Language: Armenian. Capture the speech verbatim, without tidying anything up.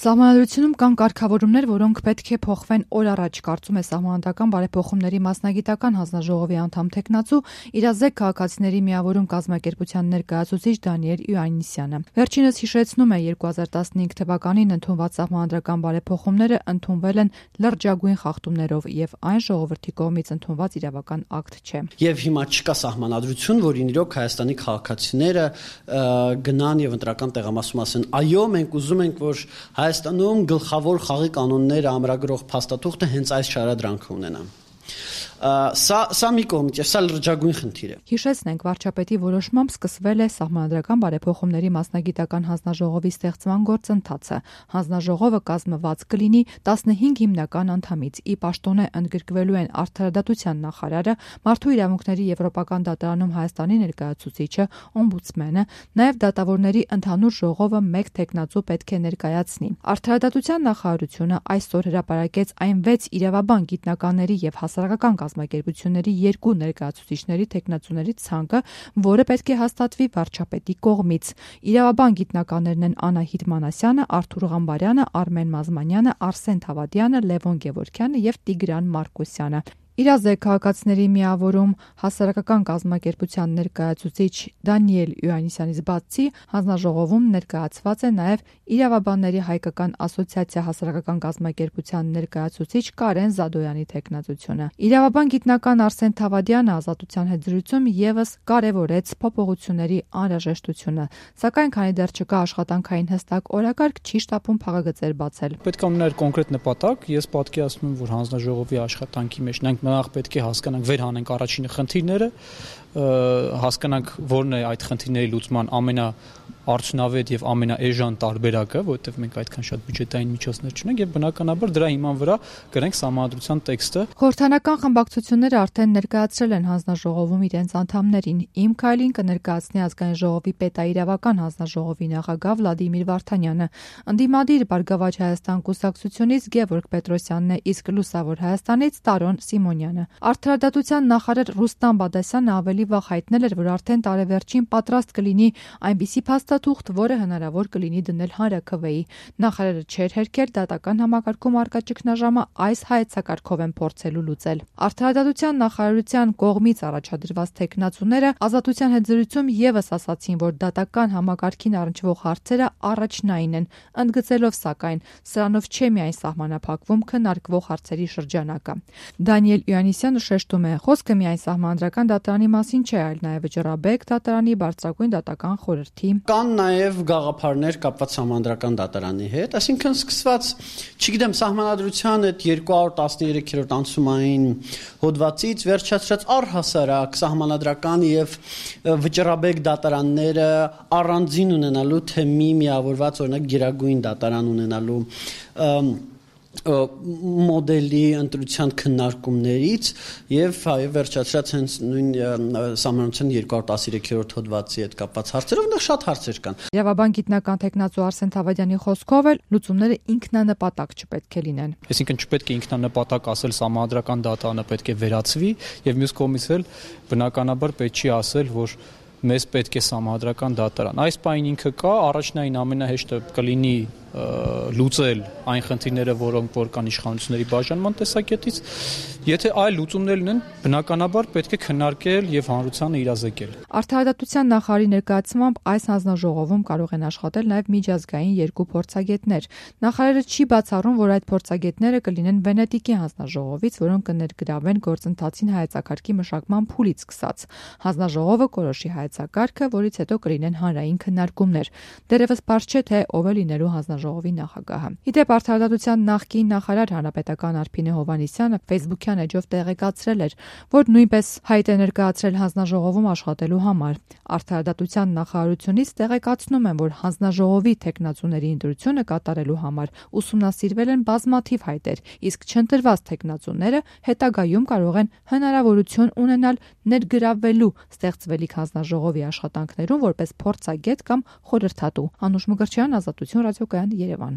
Սահմանադրությունում կան կարգավորումներ, որոնք պետք է փոխվեն օր առաջ, կարծում է Սահմանադրական բարեփոխումների մասնագիտական հանձնաժողովի անդամ թեկնածու «Իրազեկ քաղաքացիների միավորում» կազմակերպության ներկայացուցիչ Դանիել Իոաննիսյանը։ Վերջինս հիշեցնում է, երկու հազար տասնհինգ թվականին ընդունված Սահմանադրական բարեփոխումները ընդունվել են լրջագույն խախտումներով եւ այն ժողովրդի կողմից ընդունված իրավական ակտ չէ։ Եվ հիմա չկա սահմանադրություն, որին իրոք Հայաստանի քաղաքացիները գնան եւ ընտրական տեղամասում ասեն. այո, մենք ուզում ենք, որ Հայաստանում գլխավոր խաղի կանոնները ամրագրող փաստաթուղթը հենց այս շարադրանքը ունենա։ Սա սա մի կողմից, եւ սա լրջագույն խնդիր է։ Հիշեցնենք, վարչապետի որոշմամբ սկսվել է Սահմանադրական բարեփոխումների մասնագիտական հանձնաժողովի ստեղծման գործընթացը։ Հանձնաժողովը կազմված կլինի տասնհինգ հիմնական անդամից։ Ի պաշտոնե ընդգրկվելու են Արդարադատության նախարարը, Մարդու իրավունքների Եվրոպական դատարանում Հայաստանի ներկայացուցիչը, օմբուդսմենը, նաեւ դատավորների ընդհանուր ժողովը մեկ թեկնածու պետք է ներկայացնի։ Արդարադատության նախարարությունը այսօր հրապարակեց այն վեց իրավաբան գիտնականների եւ հասարակական կազմակերպությունների երկու ներկայացուցիչների թեկնածուների ցանկը, որը պետք է հաստատվի վարչապետի կողմից։ Իրավաբան գիտնականներն են Անահիտ Մանասյանը, Արթուր Ղամբարյանը, Արմեն Մազմանյանը, Արսեն Թավադյանը, Լևոն Գևորգյանը եւ Տիգրան Մարկոսյանը։ Իրազեկ քաղաքացիների միավորում հասարակական կազմակերպության ներկայացուցիչ Դանիել Իոաննիսյանից բացի հանձնաժողովում ներկայացված է նաև Իրավաբանների հայկական ասոցիացիա հասարակական կազմակերպության ներկայացուցիչ Կարեն Զադոյանի թեկնածությունը։ Իրավաբան գիտնական Արսեն Թավադյանը ազատության հետ զրույցում եւս կարևորեց փոփոխությունների անհրաժեշտությունը, սակայն քանի դեռ չկա աշխատանքային հստակ օրակարգ, չի շտապում փաղագծեր բացել։ Պետք է ունենալ կոնկրետ նպատակ, ես պատկերացնում եմ, որ հանձնաժողովի աշխատանքի մեջ մենք նախ պետք է հասկանանք, վեր հանենք առաջինը խնդիրները, հասկանանք որն է այդ խնդիրների լուծման ամենաարդյունավետ եւ ամենաէժան տարբերակը, որովհետեւ մենք այդքան շատ բյուջետային միջոցներ չունենք եւ բնականաբար դրա հիման վրա գրենք Սահմանադրության տեքստը։ Խորհրդանական խմբակցությունները արդեն ներկայացրել են հանձնաժողովում իրենց անդամներին։ Իմ քայլին կներկայացնի ազգային ժողովի պետաիրավական հանձնաժողովի նախագահ Վլադիմիր Վարդանյանը։ Ընդդիմադիր Բարգավաճ Հայաստան կուսակցությունից Գևորգ Պետրոսյանն է, իսկ Լուսավոր Հայաստանից Տարոն Սիմոնյանը։ Արդարադատության նախարար Ռուստամ Բադասյանը ավելի վաղ հայտնել էր, որ արդեն տարեվերջին պատրաստ կլինի այնպիսի փաստաթուղթ, որը հնարավոր կլինի դնել հանրաքվեի։ Նախարարը չէր հերքել դատական համակարգում առկա ճգնաժամը այս հայեցակարգով են փորձելու լուծել։ Արդարադատության նախարարության կողմից առաջադրված թեկնածուները ազատության հետ զրույցում եւս ասացին, որ դատական համակարգին առնչվող հարցերը առաջնային են, ընդգծելով սակայն սրանով չէ միայն սահմանափակվում քննարկվող հարցերի շրջանակը։ Դանիել Իոաննիսյանը շեշտում է, խոսքը միայն Սահմանադրական դատարանի մասին չէ, այլ նաև Ջրաբեկ դատարանի, Բարձրագույն դատական խորհրդի։ Կան նաև գաղափարներ կապված Սահմանադրական դատարանի հետ, այսինքն սկսված, չգիտեմ, Սահմանադրության այդ երկու հարյուր տասներեքերորդ անցումային հոդվածից վերջացրած առհասարակ Սահմանադրական եւ Վճռաբեկ դատարանները առանձին ունենալու, թե մի միավորված օրինակ Գերագույն դատարան ունենալու մոդելի ընտրության քննարկումներից եւ այո վերջացրած հենց նույն Սահմանադրության երկու հարյուր տասներեքերորդ հոդվածի հետ կապված հարցերով այնտեղ շատ հարցեր կան։ Իրավաբան գիտնական թեկնածու Արսեն Թավադյանի խոսքով էլ լուծումները ինքնանպատակ չպետք է լինեն։ Այսինքն չպետք է ինքնանպատակ ասել Սահմանադրական դատարանը պետք է վերացվի եւ մյուս կողմից էլ բնականաբար պետք չի ասել, որ մեզ պետք է Սահմանադրական դատարան։ Այս բանը ինքը կա, առաջնային ամենահեշտը կլինի լուծել այն խնդիրները, որոնք որ կան իշխանությունների բաժանման տեսակետից, եթե այլ լուծումներ ունեն, բնականաբար պետք է քննարկել եւ հանրությանը իրազեկել։ Արդարադատության նախարարի ներկայացմամբ այս հանձնաժողովում կարող են աշխատել նաեւ միջազգային երկու փորձագետներ։ Նախարարը չի բացառում, որ այդ փորձագետները կլինեն Վենետիկի հանձնաժողովից, որոնք կներգրավեն գործընթացին հայեցակարգի մշակման փուլից սկսած։ Հանձնաժողովը կորոշի հայեցակարգը, որից հետո կլինեն հանրային քննարկումներ։ Դեռևս բարձ չէ, թե ով է լինելու հանձնաժողովի նախագահը։ Իդեպ Արդարադատության նախկին նախարար հանրապետական Արփինե Հովհաննիսյանը Facebook-յան էջով տեղեկացրել էր, որ նույնպես հայտ է ներկայացրել հանձնաժողովում աշխատելու համար։ Արդարադատության նախարարությունից տեղեկացնում են, որ հանձնաժողովի թեկնածուների ընտրությունը կատարելու համար ուսումնասիրվել են բազմաթիվ հայտեր, իսկ չընտրված թեկնածուները հետագայում կարող են հնարավորություն ունենալ ներգրավվելու ստեղծվելիք հանձնաժողովի աշխատանքներում որպես փորձագետ կամ խորհրդատու։ Անուշ Մկրտչյան, Ազատություն ռադիոկայան, Երևան։